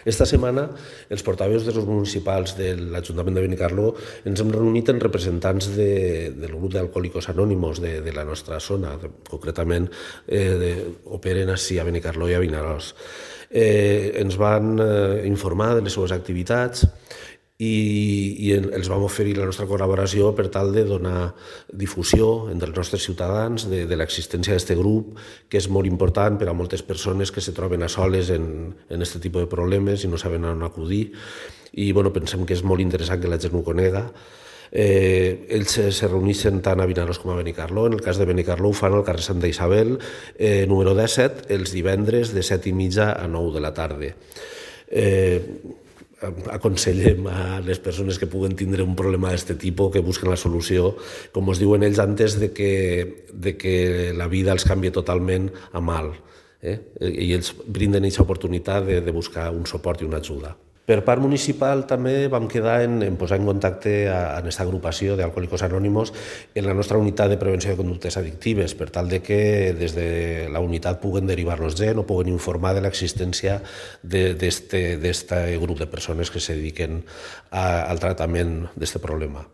Esta setmana, els portaveus dels grups municipals de l'Ajuntament de Benicarló ens hem reunit en representants del grup d'Alcohòlicos Anònimos de la nostra zona, concretament operen així a Benicarló i a Vinaròs. Ens van informar de les seves activitats i els vam oferir la nostra col·laboració per tal de donar difusió entre els nostres ciutadans de l'existència d'aquest grup, que és molt important per a moltes persones que se troben a soles en aquest tipus de problemes i no saben on acudir. I pensem que és molt interessant que la gent ho conega. Ells se reuneixen tant a Vinaròs com a Benicarló. En el cas de Benicarló ho fan al carrer Santa Isabel, número 17, els divendres de 7:30 a 9 de la tarda. Aconsellem a les persones que puguen tindre un problema d'aquest tipus que busquen la solució, com us diuen ells, antes de que la vida els canvi totalment a mal. I ells brinden aquesta oportunitat de buscar un suport i una ajuda. Per part municipal també vam quedar en posar en contacte amb aquesta agrupació d'Alcohòlicos Anònimos en la nostra unitat de prevenció de conductes addictives, per tal de que des de la unitat puguen derivar-nos gent o puguen informar de l'existència d'aquest grup de persones que se dediquen al tractament d'aquest problema.